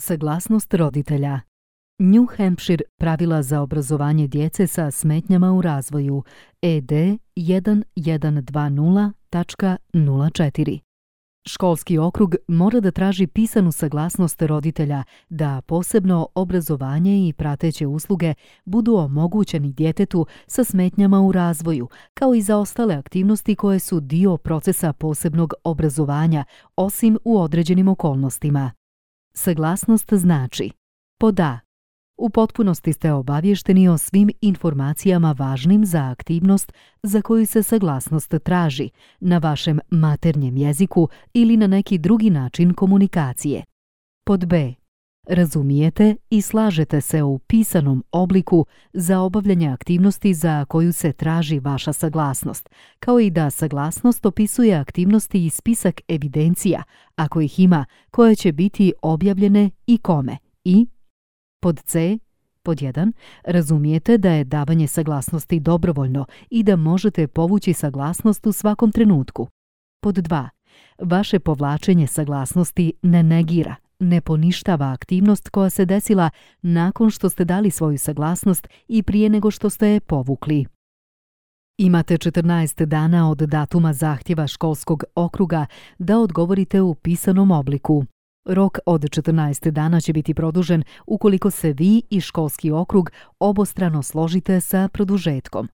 Saglasnost roditelja. New Hampshire pravila za obrazovanje djece sa smetnjama u razvoju ED 1120.04. Školski okrug mora da traži pisanu saglasnost roditelja da posebno obrazovanje i prateće usluge budu omogućeni djetetu sa smetnjama u razvoju, kao i za ostale aktivnosti koje su dio procesa posebnog obrazovanja, osim u određenim okolnostima. Saglasnost znači: pod A. U potpunosti ste obavješteni o svim informacijama važnim za aktivnost za koju se saglasnost traži, na vašem maternjem jeziku ili na neki drugi način komunikacije. Pod B. Razumijete i slažete se u pisanom obliku za obavljanje aktivnosti za koju se traži vaša saglasnost, kao i da saglasnost opisuje aktivnosti i spisak evidencija, ako ih ima, koje će biti objavljene i kome. I pod C. Pod 1. Razumijete da je davanje saglasnosti dobrovoljno i da možete povući saglasnost u svakom trenutku. Pod 2. Vaše povlačenje saglasnosti ne negira, ne poništava aktivnost koja se desila nakon što ste dali svoju saglasnost i prije nego što ste je povukli. Imate 14 dana od datuma zahtjeva školskog okruga da odgovorite u pisanom obliku. Rok od 14 dana će biti produžen ukoliko se vi i školski okrug obostrano složite sa produžetkom.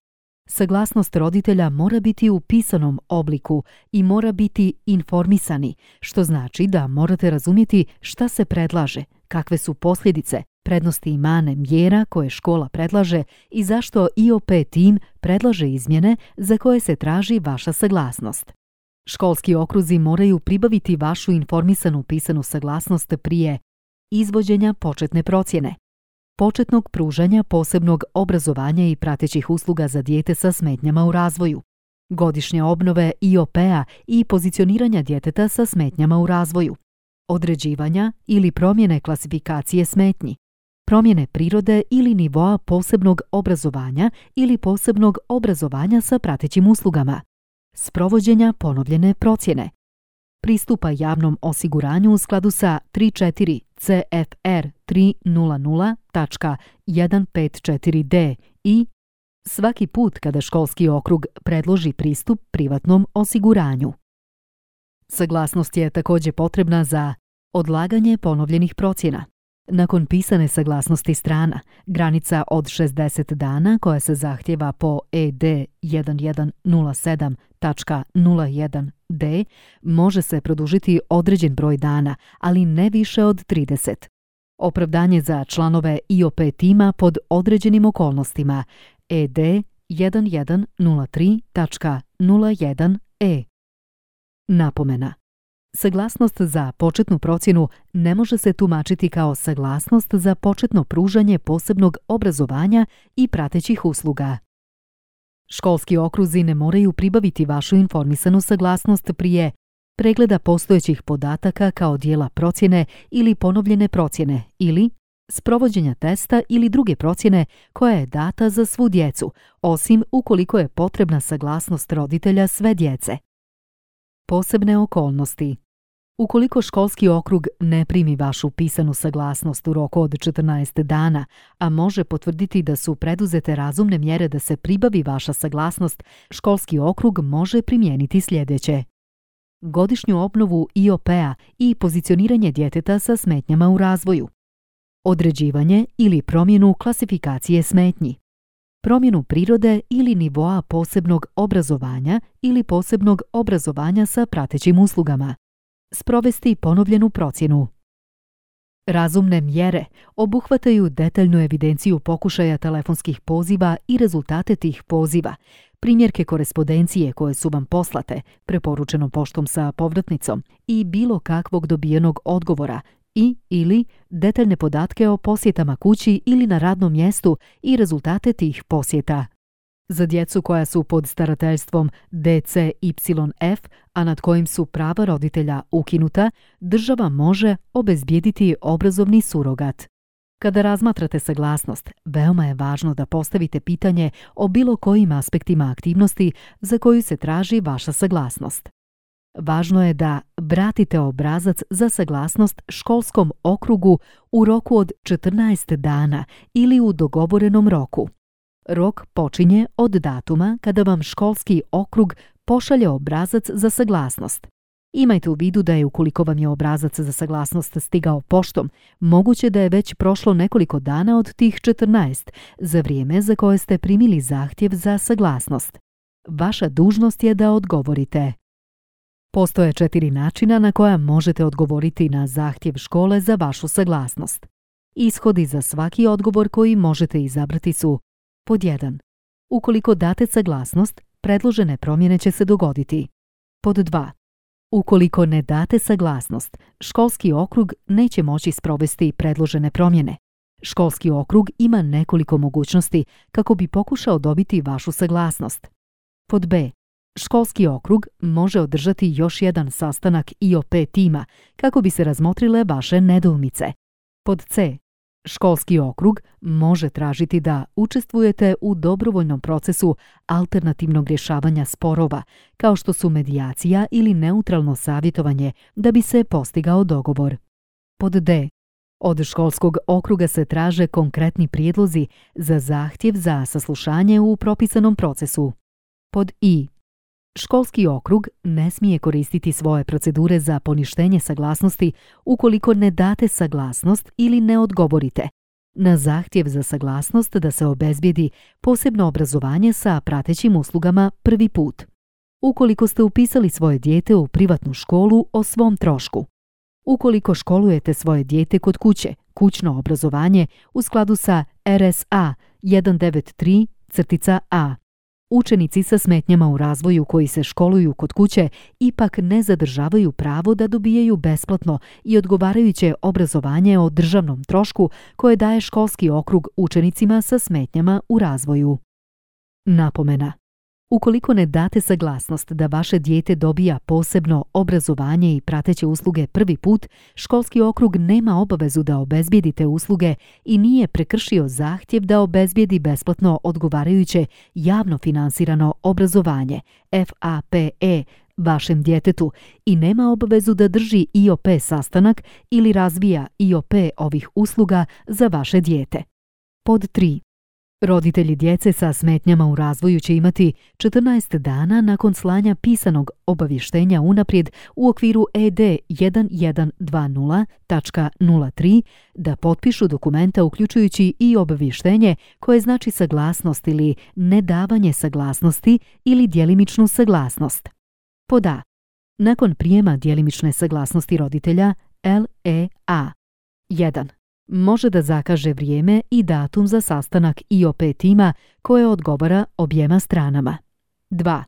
Saglasnost roditelja mora biti u pisanom obliku i mora biti informisani, što znači da morate razumjeti šta se predlaže, kakve su posljedice, prednosti i mane mjera koje škola predlaže i zašto IOP tim predlaže izmjene za koje se traži vaša saglasnost. Školski okruzi moraju pribaviti vašu informisanu pisanu saglasnost prije izvođenja početne procjene, početnog pružanja posebnog obrazovanja i pratećih usluga za dijete sa smetnjama u razvoju, godišnje obnove IOP-a i pozicioniranja djeteta sa smetnjama u razvoju, određivanja ili promjene klasifikacije smetnji, promjene prirode ili nivoa posebnog obrazovanja ili posebnog obrazovanja sa pratećim uslugama, sprovođenja ponovljene procjene, pristupa javnom osiguranju u skladu sa 34 CFR 300.154D i svaki put kada školski okrug predloži pristup privatnom osiguranju. Saglasnost je također potrebna za odlaganje ponovljenih procjena. Nakon pisane saglasnosti strana, granica od 60 dana koja se zahtjeva po ED 1107.01D može se produžiti određen broj dana, ali ne više od 30. Opravdanje za članove IOP tima pod određenim okolnostima ED 1103.01E. Napomena. Saglasnost za početnu procjenu ne može se tumačiti kao saglasnost za početno pružanje posebnog obrazovanja i pratećih usluga. Školski okruzi ne moraju pribaviti vašu informisanu saglasnost prije pregleda postojećih podataka kao dijela procjene ili ponovljene procjene ili sprovođenja testa ili druge procjene koja je data za svu djecu, osim ukoliko je potrebna saglasnost roditelja sve djece. Posebne okolnosti. Ukoliko školski okrug ne primi vašu pisanu saglasnost u roku od 14 dana, a može potvrditi da su preduzete razumne mjere da se pribavi vaša saglasnost, školski okrug može primijeniti sljedeće: godišnju obnovu IOP-a i pozicioniranje djeteta sa smetnjama u razvoju, određivanje ili promjenu klasifikacije smetnji, promjenu prirode ili nivoa posebnog obrazovanja ili posebnog obrazovanja sa pratećim uslugama, sprovesti ponovljenu procjenu. Razumne mjere obuhvataju detaljnu evidenciju pokušaja telefonskih poziva i rezultate tih poziva, primjerke korespondencije koje su vam poslate, preporučenom poštom sa povratnicom i bilo kakvog dobijenog odgovora i ili detaljne podatke o posjetama kući ili na radnom mjestu i rezultate tih posjeta. Za djecu koja su pod starateljstvom DCYF, a nad kojim su prava roditelja ukinuta, država može obezbijediti obrazovni surogat. Kada razmatrate saglasnost, veoma je važno da postavite pitanje o bilo kojim aspektima aktivnosti za koju se traži vaša saglasnost. Važno je da vratite obrazac za saglasnost školskom okrugu u roku od 14 dana ili u dogovorenom roku. Rok počinje od datuma kada vam školski okrug pošalje obrazac za saglasnost. Imajte u vidu da je, ukoliko vam je obrazac za saglasnost stigao poštom, moguće da je već prošlo nekoliko dana od tih 14, za vrijeme za koje ste primili zahtjev za saglasnost. Vaša dužnost je da odgovorite. Postoje 4 načina na koja možete odgovoriti na zahtjev škole za vašu saglasnost. Ishodi za svaki odgovor koji možete izabrati su: pod 1. Ukoliko date saglasnost, predložene promjene će se dogoditi. Pod 2. Ukoliko ne date saglasnost, školski okrug neće moći sprovesti predložene promjene. Školski okrug ima nekoliko mogućnosti kako bi pokušao dobiti vašu saglasnost. Pod B. Školski okrug može održati još jedan sastanak IOP tima kako bi se razmotrile vaše nedoumice. Pod C. Školski okrug može tražiti da učestvujete u dobrovoljnom procesu alternativnog rješavanja sporova, kao što su medijacija ili neutralno savjetovanje, da bi se postigao dogovor. Pod D. Od školskog okruga se traže konkretni prijedlozi za zahtjev za saslušanje u propisanom procesu. Pod I. Školski okrug ne smije koristiti svoje procedure za poništenje saglasnosti ukoliko ne date saglasnost ili ne odgovorite na zahtjev za saglasnost da se obezbijedi posebno obrazovanje sa pratećim uslugama prvi put. Ukoliko ste upisali svoje dijete u privatnu školu o svom trošku. Ukoliko školujete svoje dijete kod kuće, kućno obrazovanje u skladu sa RSA 193-A. Učenici sa smetnjama u razvoju koji se školuju kod kuće ipak ne zadržavaju pravo da dobijaju besplatno i odgovarajuće obrazovanje o državnom trošku koje daje školski okrug učenicima sa smetnjama u razvoju. Napomena. Ukoliko ne date saglasnost da vaše dijete dobija posebno obrazovanje i prateće usluge prvi put, školski okrug nema obavezu da obezbijedi te usluge i nije prekršio zahtjev da obezbijedi besplatno odgovarajuće javno finansirano obrazovanje, FAPE, vašem djetetu i nema obavezu da drži IOP sastanak ili razvija IOP ovih usluga za vaše dijete. Pod 3. Roditelji djece sa smetnjama u razvoju će imati 14 dana nakon slanja pisanog obavještenja unaprijed u okviru ED 1120.03 da potpišu dokumenta uključujući i obavještenje koje znači saglasnost ili nedavanje saglasnosti ili djelimičnu saglasnost. Pod A. Nakon prijema djelimične saglasnosti roditelja LEA 1. Može da zakaže vrijeme i datum za sastanak IOP tima koje odgovara objema stranama. 2.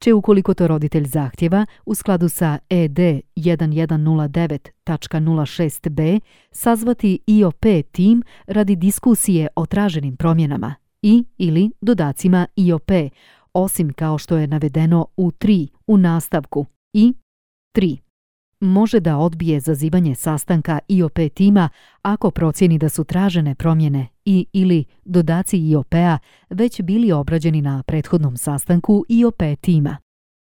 Će, ukoliko to roditelj zahtjeva, u skladu sa ED 1109.06b sazvati IOP tim radi diskusije o traženim promjenama i ili dodacima IOP, osim kao što je navedeno u 3 u nastavku i 3. Može da odbije zazivanje sastanka IOP tima ako procijeni da su tražene promjene i ili dodaci IOP-a već bili obrađeni na prethodnom sastanku IOP tima.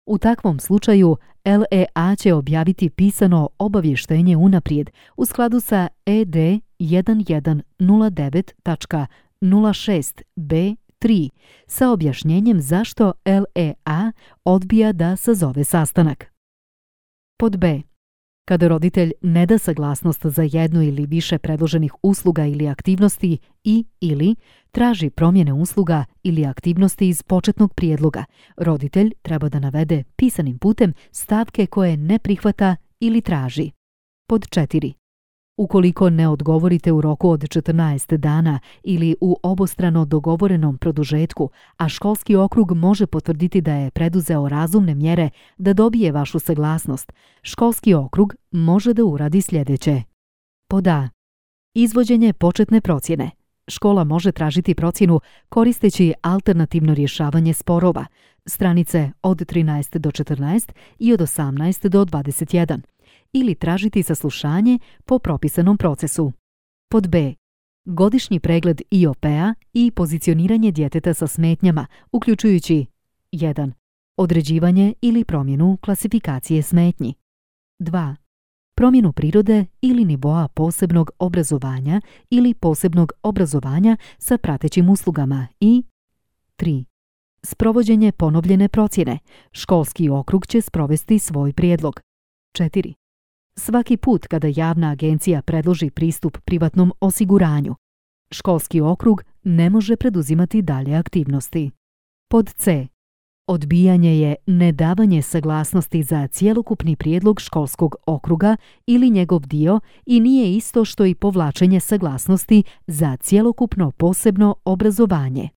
U takvom slučaju LEA će objaviti pisano obavještenje unaprijed u skladu sa ED 1109.06b3 sa objašnjenjem zašto LEA odbija da sazove sastanak. Pod B. Kada roditelj ne da saglasnost za jednu ili više predloženih usluga ili aktivnosti i ili traži promjene usluga ili aktivnosti iz početnog prijedloga, roditelj treba da navede pisanim putem stavke koje ne prihvata ili traži. Pod 4. Ukoliko ne odgovorite u roku od 14 dana ili u obostrano dogovorenom produžetku, a školski okrug može potvrditi da je preduzeo razumne mjere da dobije vašu saglasnost, školski okrug može da uradi sljedeće. Pod A. Izvođenje početne procjene. Škola može tražiti procjenu koristeći alternativno rješavanje sporova, stranice od 13 do 14 i od 18 do 21. ili tražiti saslušanje po propisanom procesu. Pod B. Godišnji pregled IOP-a i pozicioniranje djeteta sa smetnjama, uključujući 1. Određivanje ili promjenu klasifikacije smetnji. 2. Promjenu prirode ili nivoa posebnog obrazovanja ili posebnog obrazovanja sa pratećim uslugama i 3. Sprovođenje ponovljene procjene. Školski okrug će sprovesti svoj prijedlog. 4. Svaki put kada javna agencija predloži pristup privatnom osiguranju, školski okrug ne može preduzimati dalje aktivnosti. Pod C. Odbijanje je nedavanje saglasnosti za cjelokupni prijedlog školskog okruga ili njegov dio i nije isto što i povlačenje saglasnosti za cjelokupno posebno obrazovanje.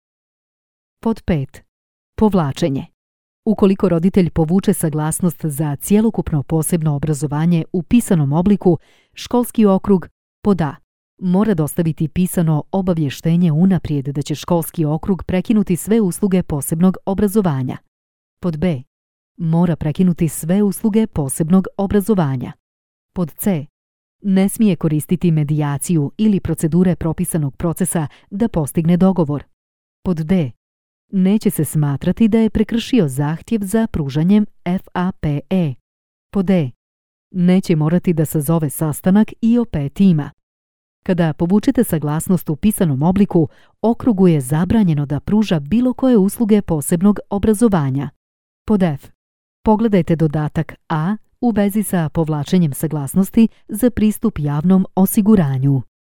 Pod 5. Povlačenje. Ukoliko roditelj povuče saglasnost za cjelokupno posebno obrazovanje u pisanom obliku, školski okrug pod A. Mora dostaviti pisano obavještenje unaprijed da će školski okrug prekinuti sve usluge posebnog obrazovanja. Pod B. Mora prekinuti sve usluge posebnog obrazovanja. Pod C. Ne smije koristiti medijaciju ili procedure propisanog procesa da postigne dogovor. Pod D. Neće se smatrati da je prekršio zahtjev za pružanjem FAPE. Pod E. Neće morati da sazove sastanak IOP tima. Kada povučete saglasnost u pisanom obliku, okrugu je zabranjeno da pruža bilo koje usluge posebnog obrazovanja. Pod F. Pogledajte dodatak A u vezi sa povlačenjem saglasnosti za pristup javnom osiguranju.